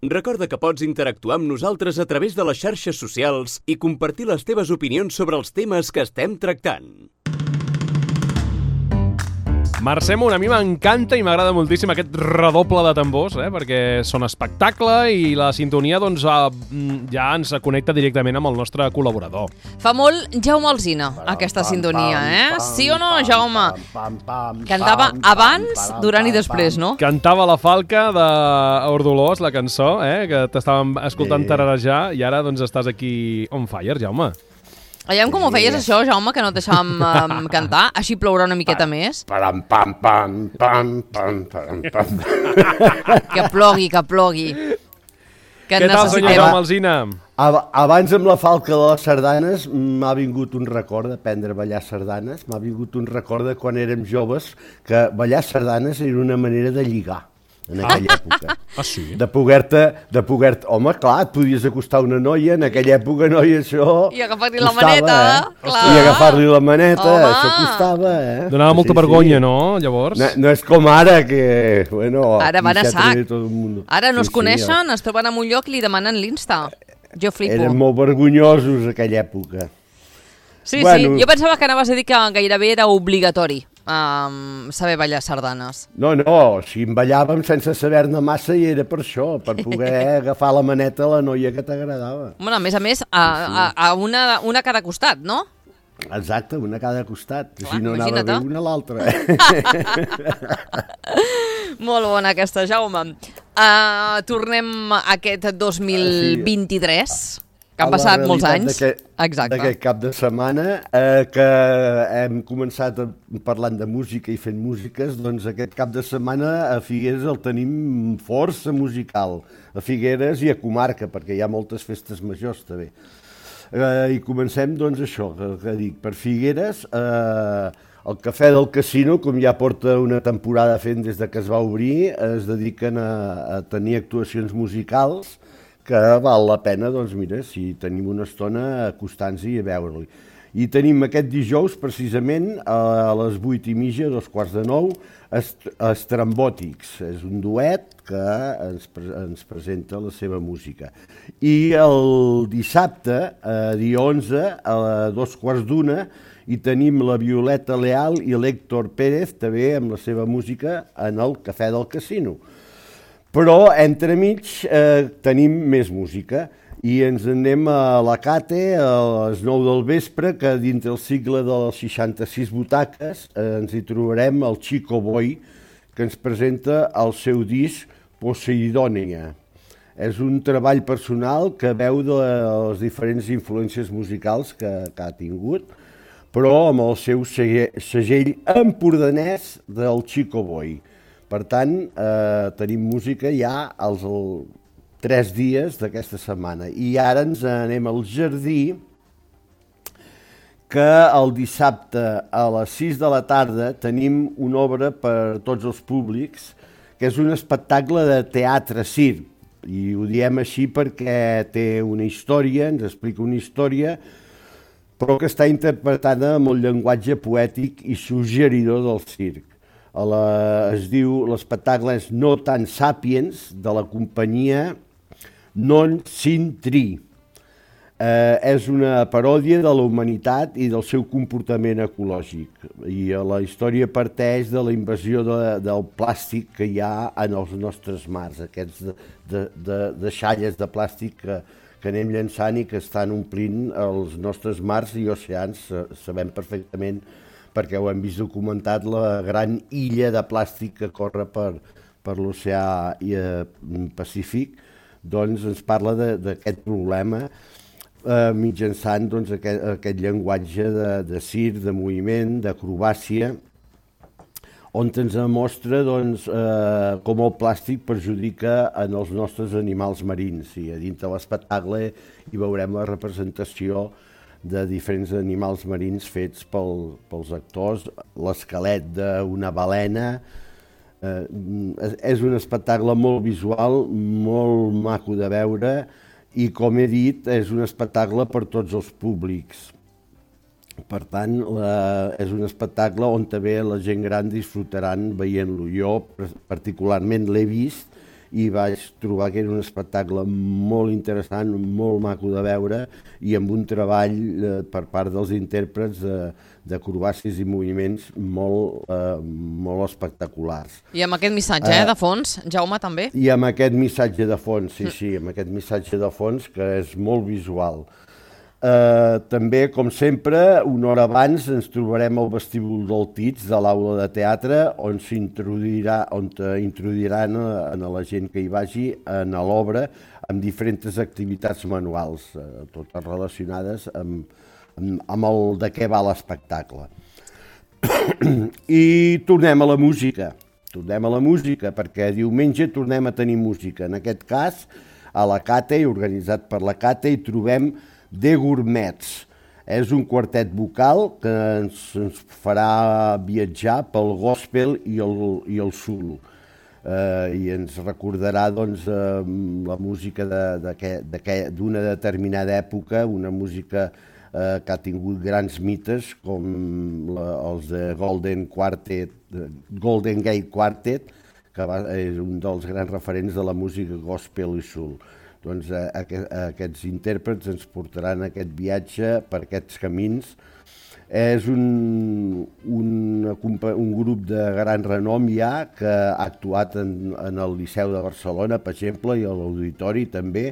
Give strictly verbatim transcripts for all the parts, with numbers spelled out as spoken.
Recorda que pots interactuar amb nosaltres a través de les xarxes socials i compartir les teves opinions sobre els temes que estem tractant. Mercè Munt, a mi m'encanta i m'agrada moltíssim aquest redoble de tambors, eh? Perquè són espectacle i la sintonia doncs, ja ens connecta directament amb el nostre col·laborador. Fa molt Jaume Alsina, aquesta sintonia, eh? Sí o no, Jaume? Cantava abans, durant i després, no? Cantava la falca d'Ordolós, la cançó, eh? Que t'estàvem escoltant tararejar i ara doncs estàs aquí on fire, Jaume. Aviam com ho feies això, Jaume, que no et deixàvem um, cantar? Així plourà una miqueta més. Pam, pam, pam, pam, pam, pam, pam. Que plogui, que plogui. Que Què tal, senyor Jaume Alsina? Abans amb la falca de les sardanes m'ha vingut un record d'aprendre a ballar sardanes, m'ha vingut un record de quan érem joves que ballar sardanes era una manera de lligar en aquella època. Ah, sí? De poder-te, de poder-te... Home, clar, et podies acostar una noia, en aquella època, noia, això... I agafar-li la maneta, eh? clar. I agafar-li la maneta, Home. això costava, eh? Donava molta Sí, vergonya, sí. no, llavors? No, no és com ara, que... Bueno, Ara van a aquí sac. tot el mundo. Ara no Sí, es coneixen, es troben en un lloc i li demanen l'Insta. Jo flipo. Eren molt vergonyosos, aquella època. Sí, Bueno. sí, jo pensava que anaves a dir que gairebé era obligatori um, saber ballar sardanes. No, no, si en ballàvem sense saber-ne massa i era per això, per poder agafar la maneta a la noia que t'agradava. Bueno, a més a més, a, a, a una, una a cada costat, no? Exacte, una a cada costat, Clar, si no anava imagina't. bé una a l'altra. Molt bona aquesta, Jaume. Uh, tornem a aquest dos mil vint-i-tres, que han A la passat molts realitat anys. d'aquest- Exacte. D'aquest cap de setmana, eh, que hem començat a, parlant de música i fent músiques, doncs aquest cap de setmana a Figueres el tenim força musical, a Figueres i a comarca, perquè hi ha moltes festes majors també. Eh, I comencem, doncs, això, que, que dic, per Figueres, eh, el Cafè del Casino, com ja porta una temporada fent des de que es va obrir, es dediquen a, a tenir actuacions musicals que val la pena, doncs mira, si tenim una estona acostant-s'hi a veure-li. I tenim aquest dijous, precisament, a les vuit i mitja, dos quarts de nou, est Estrambòtics. És un duet que ens, pre ens presenta la seva música. I el dissabte, a dia onze, a dos quarts d'una, hi tenim la Violeta Leal i l'Héctor Pérez, també amb la seva música, en el Cafè del Casino. Però, entremig, eh, tenim més música i ens anem a la Cate a les nou del vespre, que dintre el cicle de les seixanta-sis butaques eh, ens hi trobarem el Chico Boy, que ens presenta el seu disc Poseidònia. És un treball personal que veu de les diferents influències musicals que, que ha tingut, però amb el seu segell empordanès del Chico Boy. Per tant, eh, tenim música ja als el, tres dies d'aquesta setmana. I ara ens anem al Jardí, que el dissabte a les sis de la tarda tenim una obra per tots els públics, que és un espectacle de teatre-circ. I ho diem així perquè té una història, ens explica una història, però que està interpretada amb el llenguatge poètic i suggeridor del circ. A la, es diu, l'espectacle és No Tan Sapiens, de la companyia Non Sin Tri. Eh, és una paròdia de la humanitat i del seu comportament ecològic. I la història parteix de la invasió de, del plàstic que hi ha en els nostres mars, aquests de, de, de, de xalles de plàstic que, que anem llançant i que estan omplint els nostres mars i oceans. Sabem perfectament, perquè ho hem vist documentat, la gran illa de plàstic que corre per, per l'oceà Pacífic, doncs ens parla d'aquest problema eh, mitjançant doncs, aquest, aquest llenguatge de, de circ, de moviment, d'acrobàcia, on ens mostra doncs, eh, com el plàstic perjudica en els nostres animals marins. I a dintre de l'espectacle hi veurem la representació de diferents animals marins fets pel, pels actors, l'esquelet d'una balena. Eh, és un espectacle molt visual, molt maco de veure i, com he dit, és un espectacle per tots els públics. Per tant, la, és un espectacle on també la gent gran disfrutaran veient-lo. Jo particularment l'he vist i vaig trobar que era un espectacle molt interessant, molt maco de veure i amb un treball eh, per part dels intèrprets de, d'acrobàcies i moviments molt, eh, molt espectaculars. I amb aquest missatge eh, de fons, Jaume, també? I amb aquest missatge de fons, sí, sí, amb aquest missatge de fons que és molt visual. Eh, també, com sempre, una hora abans ens trobarem al vestíbul del T I T S de l'aula de teatre on s'introduirà, on introduiran a, a la gent que hi vagi en l'obra amb diferents activitats manuals, eh, totes relacionades amb, amb, amb el de què va l'espectacle. I tornem a la música. Tornem a la música perquè diumenge tornem a tenir música. En aquest cas, a la Cate, organitzat per la Cate, hi trobem The Gourmets. És un quartet vocal que ens, ens farà viatjar pel gospel i el, i el soul. Eh, I ens recordarà doncs, eh, la música d'una de, determinada època, una música eh, que ha tingut grans mites com la, els de Golden Quartet, Golden Gate Quartet, que va, és un dels grans referents de la música gospel i soul. Doncs a, a, a aquests intèrprets ens portaran aquest viatge per aquests camins. És un, un, un grup de gran renom ja que ha actuat en, en el Liceu de Barcelona, per exemple, i a l'Auditori també,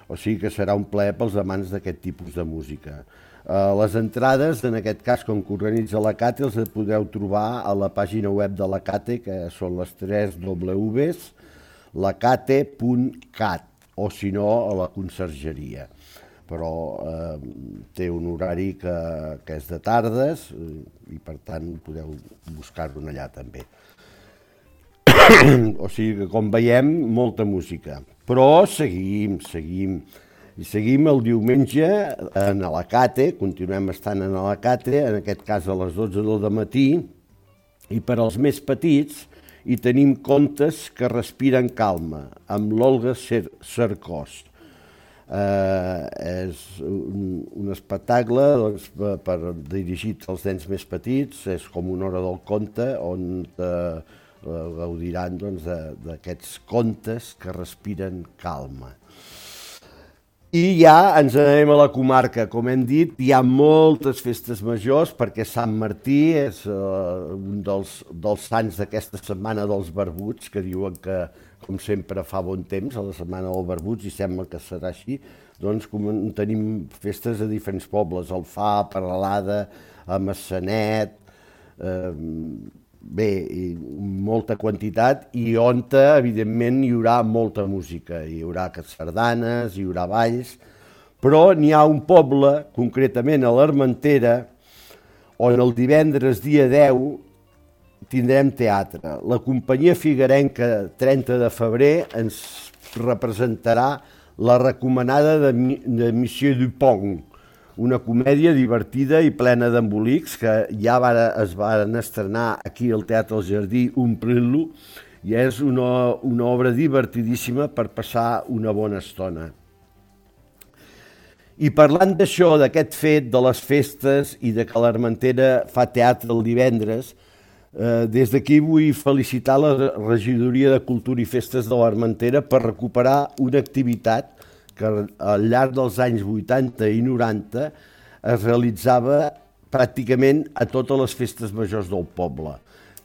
o sigui que serà un plaer pels amants d'aquest tipus de música. Uh, les entrades, en aquest cas, com que organitza la Cate, els podeu trobar a la pàgina web de la Cate, que són les tres w's, lacate punt cat, o si no, a la consergeria. Però eh, té un horari que, que és de tardes i, per tant, podeu buscar-ho allà també. O sigui que, com veiem, molta música. Però seguim, seguim. I seguim el diumenge en Alacate, continuem estant en Alacate, en aquest cas a les dotze del matí, i per als més petits hi tenim contes que respiren calma, amb l'Olga Cercós. Eh, és un, un espectacle doncs, per, per dirigit als nens més petits, és com una hora del conte on eh, gaudiran doncs, d'aquests contes que respiren calma. I ja ens anem a la comarca. Com hem dit, hi ha moltes festes majors perquè Sant Martí és uh, un dels, dels sants d'aquesta setmana dels barbuts, que diuen que, com sempre, fa bon temps a la setmana dels barbuts, i sembla que serà així. Doncs com tenim festes a diferents pobles, Alfà, Peralada, a Massanet, eh, bé, i molta quantitat, i on, evidentment, hi haurà molta música. Hi haurà sardanes, hi haurà balls, però n'hi ha un poble, concretament a l'Armentera, on el divendres dia deu tindrem teatre. La companyia figuerenca trenta de febrer ens representarà La recomanada de, de Monsieur Dupont, una comèdia divertida i plena d'embolics que ja va, es van estrenar aquí al Teatre del Jardí omplint-lo, i és una, una obra divertidíssima per passar una bona estona. I parlant d'això, d'aquest fet, de les festes i de que l'Armentera fa teatre el divendres, eh, des d'aquí vull felicitar la Regidoria de Cultura i Festes de l'Armentera per recuperar una activitat que al llarg dels anys vuitanta i noranta es realitzava pràcticament a totes les festes majors del poble.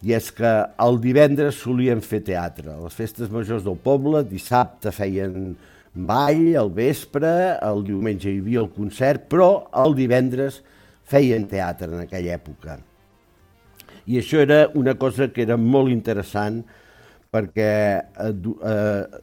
I és que el divendres solien fer teatre. Les festes majors del poble, dissabte feien ball, al vespre, el diumenge hi havia el concert, però el divendres feien teatre en aquella època. I això era una cosa que era molt interessant perquè eh,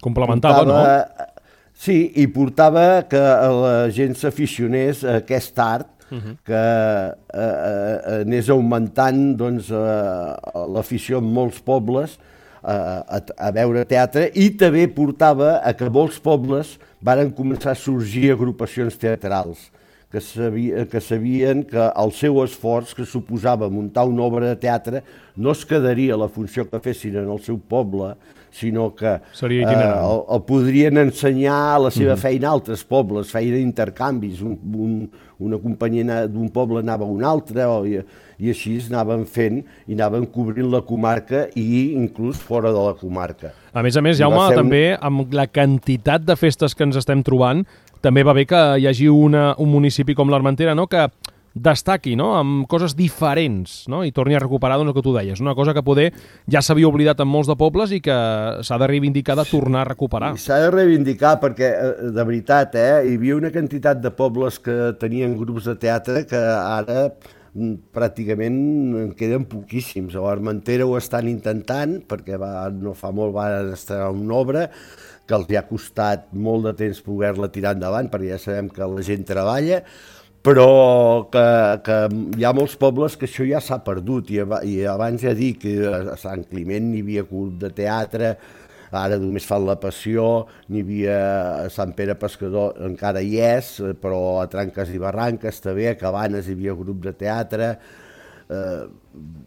complementava, portava, no? Sí, i portava que la gent s'aficionés a aquest art, uh-huh. que eh, eh, anés augmentant doncs, eh, l'afició en molts pobles eh, a, a veure teatre, i també portava a que molts pobles varen començar a sorgir agrupacions teatrals que, sabia, que sabien que el seu esforç que suposava muntar una obra de teatre no es quedaria a la funció que fessin en el seu poble, sinó que Seria eh, el, el podrien ensenyar la seva mm-hmm. feina a altres pobles, feien intercanvis, un, un, una companyia d'un poble anava a un altre, o, i, i així anaven fent i anaven cobrint la comarca i inclús fora de la comarca. A més a més, Jaume, un... també amb la quantitat de festes que ens estem trobant, també va bé que hi hagi una, un municipi com l'Armentera, no?, que destaqui, no?, amb coses diferents, no?, i torni a recuperar doncs, el que tu deies, una cosa que poder ja s'havia oblidat en molts de pobles i que s'ha de reivindicar, de tornar a recuperar. S'ha de reivindicar perquè, de veritat, eh, hi havia una quantitat de pobles que tenien grups de teatre que ara pràcticament en queden poquíssims. A l'Armentera ho estan intentant, perquè va, no fa molt van estrenar una obra que els ha costat molt de temps poder-la tirar endavant, perquè ja sabem que la gent treballa, però que, que hi ha molts pobles que això ja s'ha perdut, i, i abans ja dic que a Sant Climent hi havia club de teatre, ara només fan La Passió, n'hi havia a Sant Pere Pescador, encara hi és, però a Tranques i Barranques també, a Cabanes hi havia grup de teatre, eh,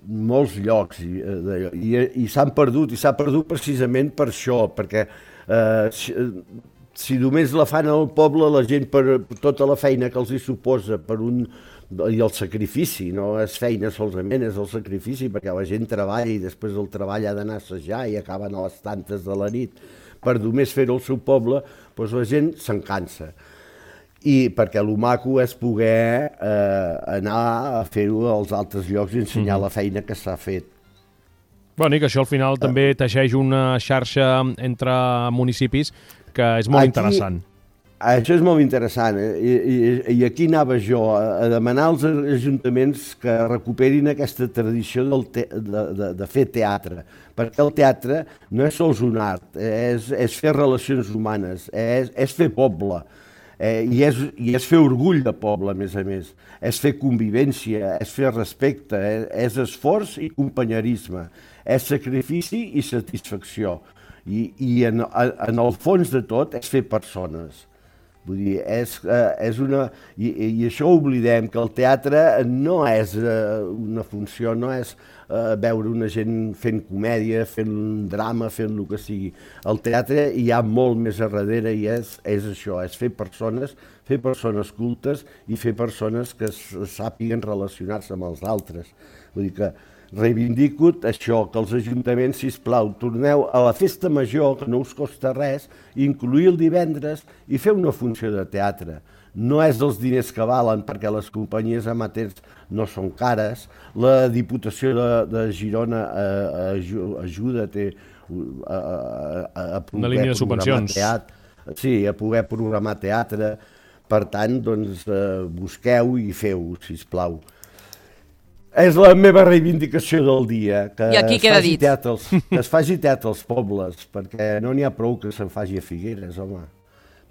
molts llocs, i, i, i s'han perdut, i s'ha perdut precisament per això, perquè eh, si, si només la fan al poble, la gent per tota la feina que els hi suposa per un, i el sacrifici, no és feina solament, és el sacrifici, perquè la gent treballa i després del treball ha d'anar a assajar i acaben a les tantes de la nit. Per només fer-ho al seu poble, doncs la gent se'n cansa. I perquè el maco és poder eh, anar a fer-ho als altres llocs i ensenyar mm. la feina que s'ha fet. Bueno, i que això al final uh, també teixeix una xarxa entre municipis que és molt aquí, interessant. Això és molt interessant, eh? I, i, i aquí anava jo, a, a demanar als ajuntaments que recuperin aquesta tradició del te, de, de, de fer teatre, perquè el teatre no és sols un art, és, és fer relacions humanes, és, és fer poble, eh, i, és, i és fer orgull de poble, a més a més, és fer convivència, és fer respecte, és, és esforç i companyerisme, és sacrifici i satisfacció, i, i en, en el fons de tot és fer persones. Vull dir, és, eh, és una... I, I això oblidem, que el teatre no és eh, una funció, no és eh, veure una gent fent comèdia, fent drama, fent el que sigui. El teatre hi ha molt més a darrere i és, és això, és fer persones, fer persones cultes i fer persones que sàpiguen relacionar-se amb els altres. Vull dir que reivindico això, que els ajuntaments, sisplau, torneu a la festa major, que no us costa res, incluir el divendres i fer una funció de teatre. No és dels diners que valen, perquè les companyies amateurs no són cares, la Diputació de, de Girona eh, ajuda té, a, a, a poder una línia de subvencions. Teatre, sí, a poder programar teatre. Per tant, doncs, eh, busqueu i feu, sisplau. És la meva reivindicació del dia, que, es faci, teatre als, que es faci teatre als pobles, perquè no n'hi ha prou que se'n faci a Figueres, home.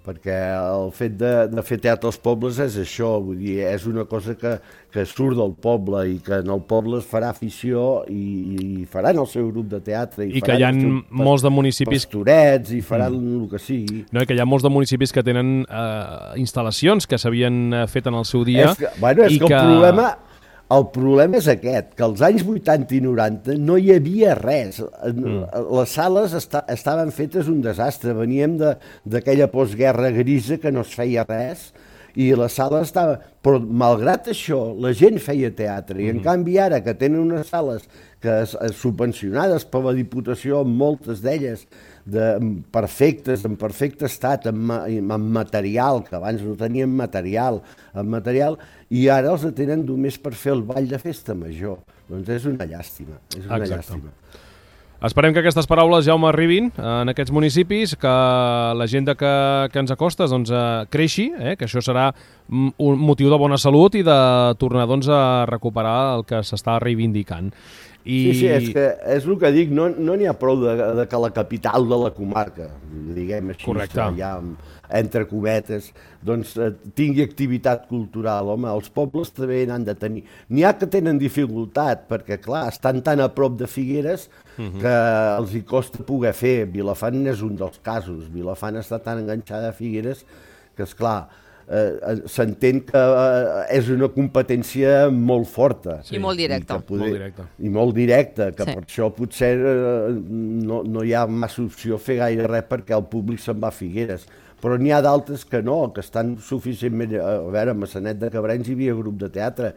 Perquè el fet de, de fer teatre als pobles és això, vull dir, és una cosa que, que surt del poble i que en el poble es farà afició i, i faran el seu grup de teatre. I, I que hi ha molts de municipis... pastorets i faran mm. el que sigui. No, i que hi ha molts de municipis que tenen eh, instal·lacions que s'havien fet en el seu dia. És que, bueno, és i que, que el problema... El problema és aquest, que als anys vuitanta i noranta no hi havia res. Mm. Les sales esta, estaven fetes un desastre. Veníem d'aquella postguerra grisa que no es feia res i les sales estaven... Però, malgrat això, la gent feia teatre. I, en mm. canvi, ara que tenen unes sales que es, es subvencionades per la Diputació, moltes d'elles, de, perfectes, en perfecte estat, amb, amb material, que abans no tenien material, amb material, i ara els tenen només per fer el ball de festa major. Doncs és una llàstima, és una Exacte. llàstima. Esperem que aquestes paraules, Jaume, arribin en aquests municipis, que l'agenda que, que ens acostes doncs, creixi, eh? Que això serà un motiu de bona salut i de tornar doncs, a recuperar el que s'està reivindicant. I... Sí, sí, és, que és el que dic, no n'hi no ha prou de, de que la capital de la comarca, diguem així, ja, entre cometes, doncs eh, tingui activitat cultural. Home, els pobles també n'han de tenir. N'hi ha que tenen dificultat, perquè, clar, estan tan a prop de Figueres uh-huh. que els hi costa poder fer. Vilafant és un dels casos. Vilafant està tan enganxada a Figueres que, esclar, eh, s'entén que eh, és una competència molt forta. Sí. I molt directa. I, poder, molt directa. I molt directa, que sí. per això potser eh, no, no hi ha massa opció a fer gaire res perquè el públic se'n va a Figueres. Però n'hi ha d'altres que no, que estan suficientment... A veure, a Massanet de Cabrenys hi havia grup de teatre,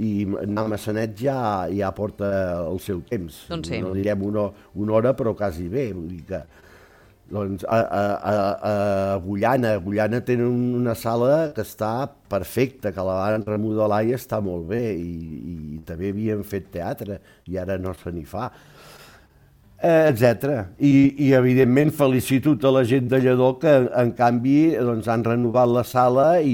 i anar a Massanet ja, ja porta el seu temps. Doncs sí. No direm una, una hora, però quasi bé. Vull dir que, doncs, a, a, a, a Agullana, a Agullana tenen una sala que està perfecta, que la van remodelar i està molt bé, i, i també havien fet teatre, i ara no se n'hi fa. Eh, etcètera. I, I, evidentment, felicito tota la gent de Lledó que, en canvi, doncs, han renovat la sala i,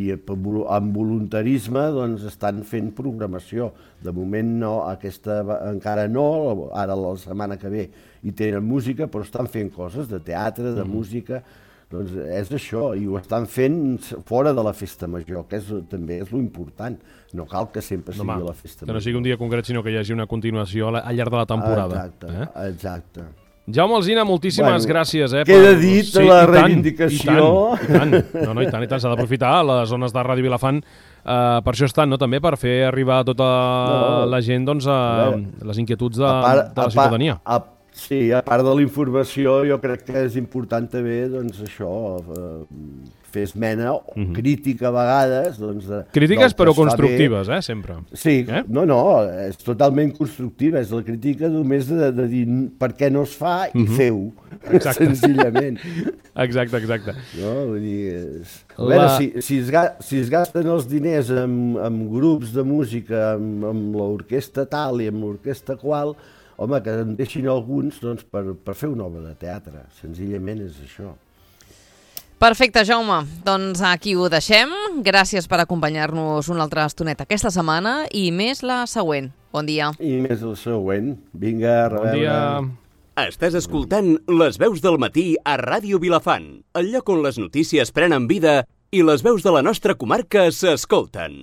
i amb voluntarisme doncs, estan fent programació. De moment no, aquesta encara no, ara la setmana que ve hi tenen música, però estan fent coses de teatre, de mm. música. Doncs és això, i ho estan fent fora de la festa major, que és, també és lo important. No cal que sempre sigui no, la festa que major. no sigui un dia concret, sinó que hi hagi una continuació al llarg de la temporada. Exacte, eh? exacte. Jaume Alsina, moltíssimes bueno, gràcies. Eh, queda per... dit sí, la i reivindicació. Tant, i tant, i tant. No, no, i tant, i tant. S'ha d'aprofitar les zones de Ràdio Vilafant. Uh, per això estan, no? També per fer arribar a tota no, la gent doncs, a, a les inquietuds de, part, de la ciutadania. A, a, sí, a part de la informació, jo crec que és important també doncs, això, eh, fer esmena, mm-hmm. crítica a vegades. Doncs, de, Crítiques però constructives, eh, sempre. Sí, eh? no, no, és totalment constructiva, és la crítica només de, de dir per què no es fa i mm-hmm. feu, senzillament. Exacte, exacte. No, vull dir, és... A veure, la... si, si, es ga, si es gasten els diners amb, amb grups de música, amb, amb l'orquestra tal i amb l'orquestra qual, home, que en deixin alguns doncs, per, per fer una obra de teatre. Senzillament és això. Perfecte, Jaume. Doncs aquí ho deixem. Gràcies per acompanyar-nos una altra estoneta aquesta setmana i més la següent. Bon dia. I més la següent. Vinga, a reveure. Bon dia. Estàs escoltant Les veus del matí a Ràdio Vilafant, el lloc on les notícies prenen vida i les veus de la nostra comarca s'escolten.